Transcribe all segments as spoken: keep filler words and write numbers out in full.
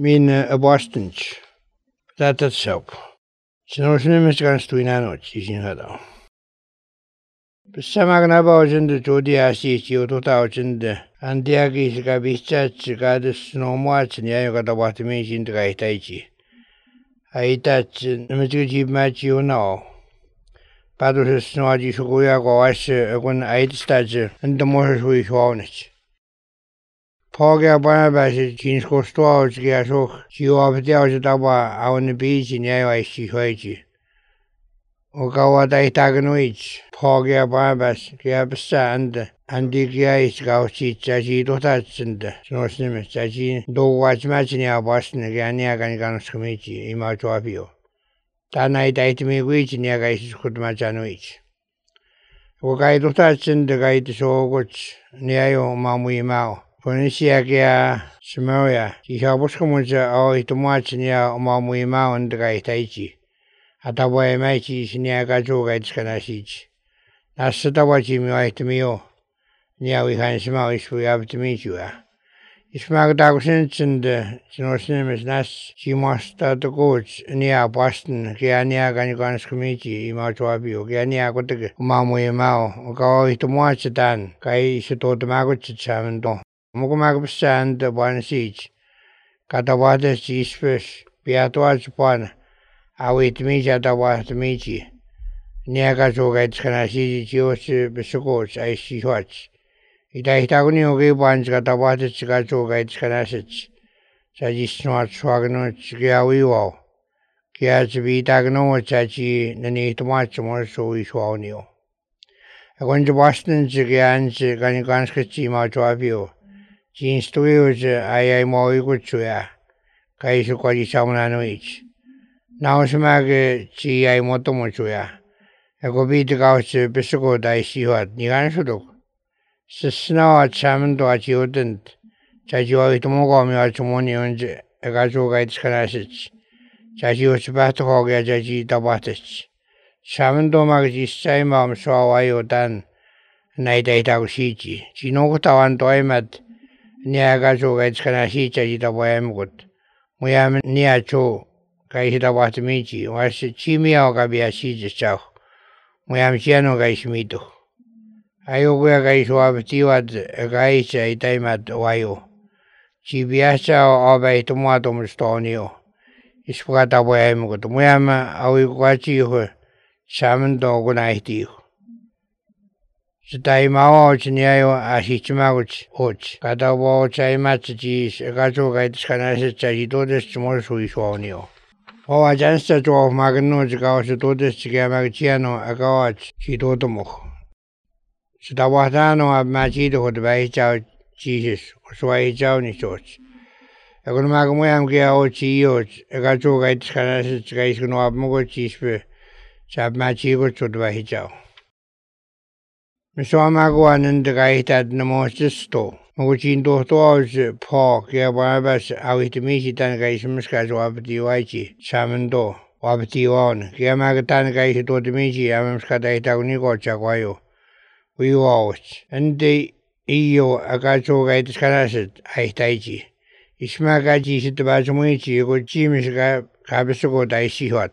Min abostens. Dat het zo. Sinus nimis gan stuinanot isin hada. Besamag na baujende jodi asi chiuto taujende. Andiagi siga bichach gada snowmuach niayo gada watimi sind gaitaiji. Aitach nimituji machi unao. Padus snoaji suguya goas agun aitstaje and the more hui shwawnich. Pogja Barnabas jeans kostuaus giasok, jiu abdiaus daba on the beach in Yawa Shihoji. Ogawa Daitaganoich, Pogja Barnabas, Giabsa and Andigiais Gauchi, Jaji Dotats and Snosnimis, Jaji, do watch matching our Boston, Gania Ganganus Committee, Imatuavio. Tanai Daitimi Wich in Yagais Kudmajanoich. Ogai Dotats and the guide so good, Niayo Mamui Mao. Ponisiagia Samaria, die Haboscomunja or Itomachinia or Mamuima and the Gaitachi. Atawa Machi is Niagajo Gaitskanasich. Nasatawachi Miaitmio. Nia we can smell if we have to meet you. If Magdagusins and the Sinosinimus Nas, she must start the coach near Boston, Giania Ganigans Committee, Imatuabio, Giania Gotig, Mamuima, or go Itomachitan, Kai Sito the Magucham. Mugumagabsa and the one siege. Catawata seas fish, Beatuas upon. I wait me at the water meiji. Niagazo gets can I see George Besugos, I see watch. It I tagni okay ones got a water cigazo gets can I sit. Sajis not swagnoch Giawiwo. Giaz be tagno chachi, the need much more so we swan you. I went to Boston, Gians, Ganiganski, Matuavio. Jeans to use I am more good to ya. Kaisu Quadi Samananoich. Now Smag Chi I Motomochuya. I go beat the gauch Bisugo I see what Nigansudo. Snow at Salmon to a children. Chajo to Mogomi or to Moni and Agazo Guides Canasich. Chajo Spatahog Yaji Tabatich. Salmon to Magis Simam saw I or done. Night eight out Shiji. Chinokota and Toimat. Niagazo gets can I see Chajita Boyamgut. We am near Cho, Kaishita Watamichi, was Chimia Gabia Shiji Chow. We am Chiano Gaishmito. I wear Gaishwa Tiwad, a Gaisha, a time at Wayo. Chibiasa or by Tomato Mustonio. Isprata Boyamgut. We am a watch you, Salmon dog night you. Stai mao chinyayo ashichimauch och kada wo chai matchi gajo gait kanase chai todes chmor sui shonio o ajansta to magno jgaos todes chigamachiano agawach chidotomo Sdawatano abmachi do dbai chao jesus swai chao ni choch agon magmo am gao chiyo gajo gait kanase chgais no abmo chispe chabmachi go chodbai chao Miswamaguan and the Gaitad Namostisto, Mugin Dotos, Paul, Giabarbas, Awitimishi Tangaismuskas, Wabati Waichi, Samando, Wabati on, Giamagatan Gais Dotimichi, Amskadaita Nico Chaguayo. We watch, and the E O Agacho Gaitis Kanaset, Aitaiji. Ismagaji Sitabazumichi, good Jimis Cabasugo, Daisi Hot.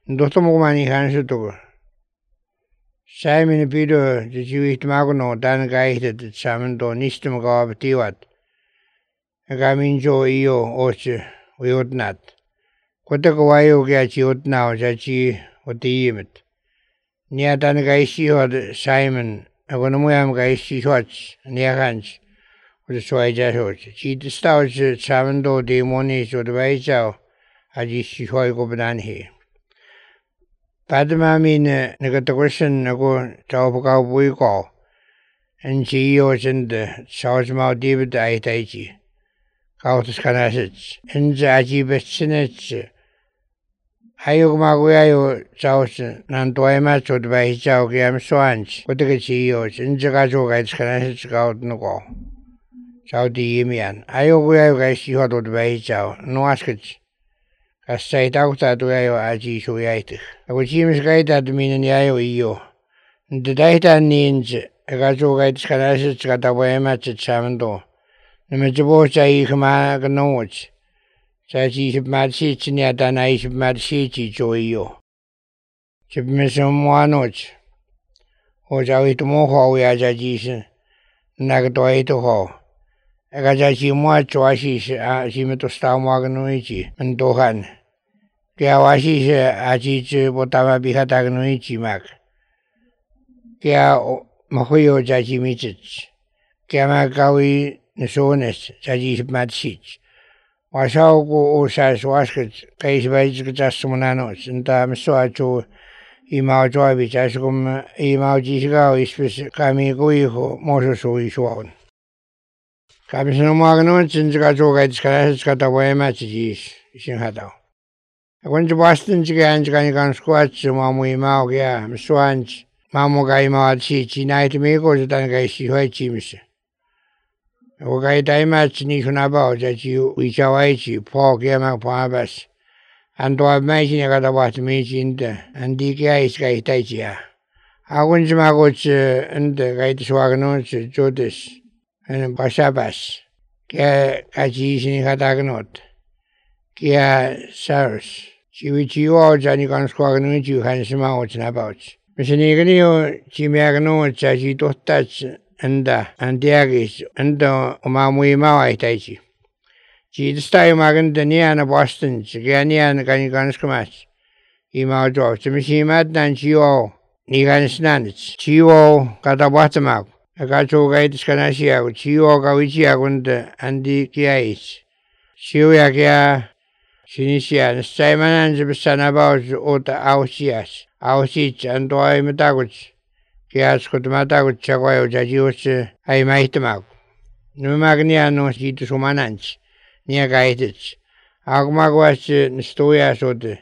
Dotomani Hansuto. Simon Peter, the Jewish Magono, Dan Gaited, Samando, Nistum Gab Tiwat. A Gaminjo Io, Oche, we would not. Quatawayo Gachi would now, Jachi, what the Yimit. Near Dan Gaisi or Simon, Agonomuam Gaisi Watch, near Hans, with the Swaja Hoch. She the stouch Samando, the Monish or the Vaisao, Ajishi Hoy Padma mean negatoration ago Tauka Buiko and G O and the South Mount David Aitaiji. Kautus Canasich and Zaji Bessinich. Hayumaguayo South Nantoimacho by Chao Giam Swans, with the G Os and Jagajo Guides Canasich out no. Saudi Yimian. Ayuguayo guys you had by Chao, no askage. As say daughter to Ayo Aji Suyate. I would see Miss Guide at the meaning Yayo Io. The data needs a gajo guide scarasis got away match at Samando. The Majabocha Ikama Ganoch. 자지 십마시치냐 다나이 십마시치 조이요. 집면서 모아놓지. 오자위도 모호야 자지신 나그도이도 호. 애가 자지 모아 좋아시시 아 지면도 스타모하고노이지 은도한. Kaya wasi siya aji botama bihata ganun mak. Kaya mahuyo jaji mitich. Kaya magawi nasones jaji matchich. Wasao ko usas waskat kaya sabay katas sumanos. Nta maswa cho imao joabi jaskum imao jisigaw ispis kami kuiho moso so isuaon. Kami sinumaganun sinjaga jogay diskanas katawa matchis singhataw. When the Boston Gigan Gigan Squats, Mamu Maugia, Swans, Mamugai Machi, Night Miko, the Dangai Hoi Chims. Okay, Dimatch Nishon about that you, which are Aichi, Paul Gama Pabas, and to imagine I got about me in the and D K I Sky Taichia. I went to Magoch and the Gait Swaganons, Jodis, and Bashabas, Kaji in Hadaganot. Kia Saros. Chivichi or Johnny Consquagan, you can smell what's about. Miss Niganio, Chimiagano, Chachi touch and and Diagis and Omamui Mawai Taichi. Chi the style Magan, the Niana Boston, Chigania and Ganiganscamas. Ema drops the machine mad than Chio, Nigan Snanits, Chio, Catawatamak, a gato gate Scanasia, Chio Gavichiagund and the Kiais. Chiuagia. Sinisia, Simon and the Sanabos, Ota Ausias, Ausich, and Doi Mataguch, Kias Kotamataguch, Chagoy, Jajius, I might them out. No Magnia no see to Sumanans, near Gaitich. Agmagwas, Stoya Sote,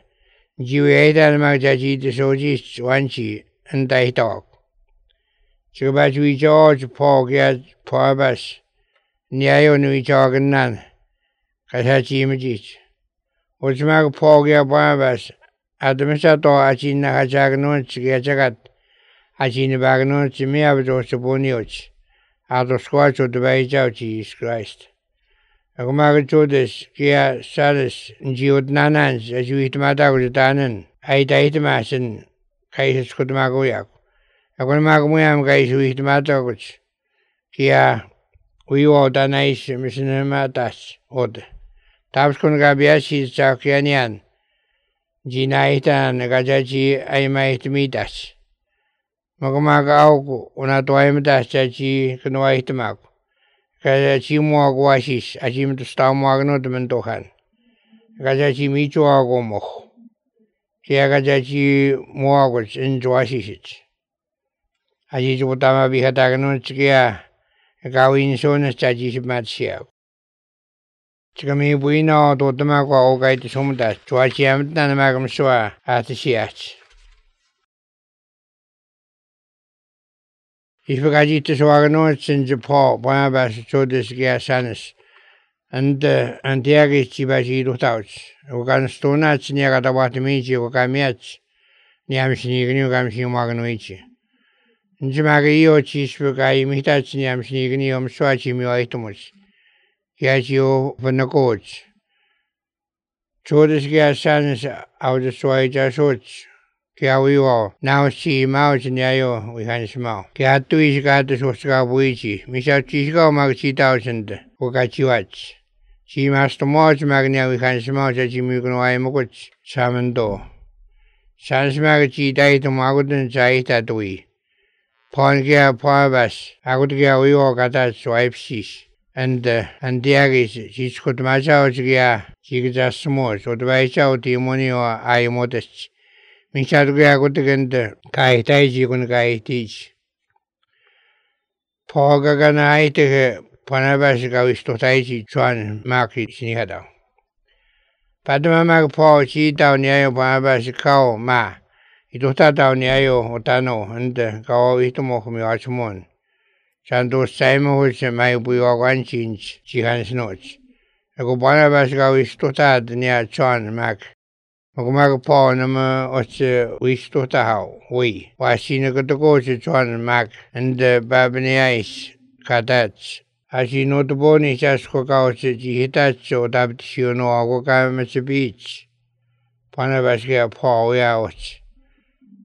Juiata and Magjaji, the Sojis, Wanchi, and I talk. Chubaju George, Paul Gat, Parbas, Niayo Nui Chogan, Kasachi Imagich. Uchmag Pogia Barbas, Adamisato, Achina Hajagnon, Chigajagat, Achina Bagnon, Chimiabdo Sabonioch, out of squash of the Baijao, Jesus Christ. Agumag Judas, Kia Salis, Jiud Nanans, as you eat Madagudanan, I died Masin, Kaisis Kutmagoyak. Agumagmuam guys who eat Madaguch, Kia, we all danais, Missinamatas, Odd. Taps kun gabiashi Chakianian, Jinaitan, Gajachi, I might meet us. Magamaga Auku, Unatoimitas, Chachi, Kanoaitamak. Gajachi Muaguashis, Ajim to Stamagno de Mentohan. Gajachi Michu Agomoch. Kiagajachi Muaguch in Joashis. Ajitama Bihatagan Chia, Gawin Sonas Chachis Matsia. Chikami Buino, Dotamago, Ogait Sumdas, Chuachiam, Nanamagam Sua, at the Siach. If we got it to Swaganots in Japan, Barnabas showed this gas sanis, and the Antiagis Chibaji Rutouch, Ogan Stonats near Gatawatamichi, Okamiach, Niamshini, Gamshi Maganoichi. Njimagio, Chisbukai, Mitach, Niamshini, Swachimi, Itomus. Gagio Vanagoch. Chodis gas sanis out the Swaja Soch. Kiawiwo, now see Mouch and Yayo, we can smell. Kiatu is got the Soska Buichi, Misha Chisco Magchi thousand, Okachiwach. She master March Magnia, we can smell that Jimmy Moguch, Samando. Sans Magachi died to Magudan Zaita Dui. Pongia Parbas, Agutia Wiwo Gatat Swipe Shish. And uh, and Diagis, she's got Macha, she just small, so the Vaisha, Timonio, I modest. Michaduga got again the Kai Taiji kun Kai teach. Pogagana ite Panabasika is to Taiji Chuan Maki Sinihada. Padama Paul, she down near Panabasika, Ma. It was down near Otano, and Gao Itomo from Yachmon. Santo Simon which may be one change, she has notes. A go Panabasika is to tad near Chuan Mac. Magumag po nama oche wish to tahaw, we. Washina got to go to Chuan Mac and the Babaniais, Kadats, Asi notoboni sasko kausi ji hitatso tabtisio no ako kaimetsi beach. Panabaskia pao yaots.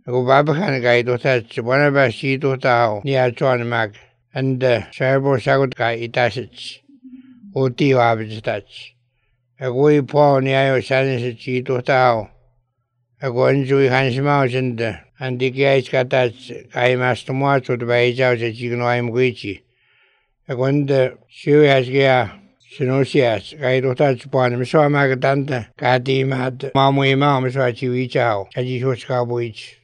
Ako babakan kai totatso panabasi totao ni atuan mag. Anda sabo sagot kai itasits. Oti wabitats. Ako i pao ni ayo sanisitsi totao. Ako anjui hansimausinda. Andi kiais katats kai mastomuatsut baijausa jigno aimuichi. Ako anda siuiaskia sinusias kai totats puan misoa magatanta kati mat mamu imao misoa chiwichao. Chaji hoskabuich.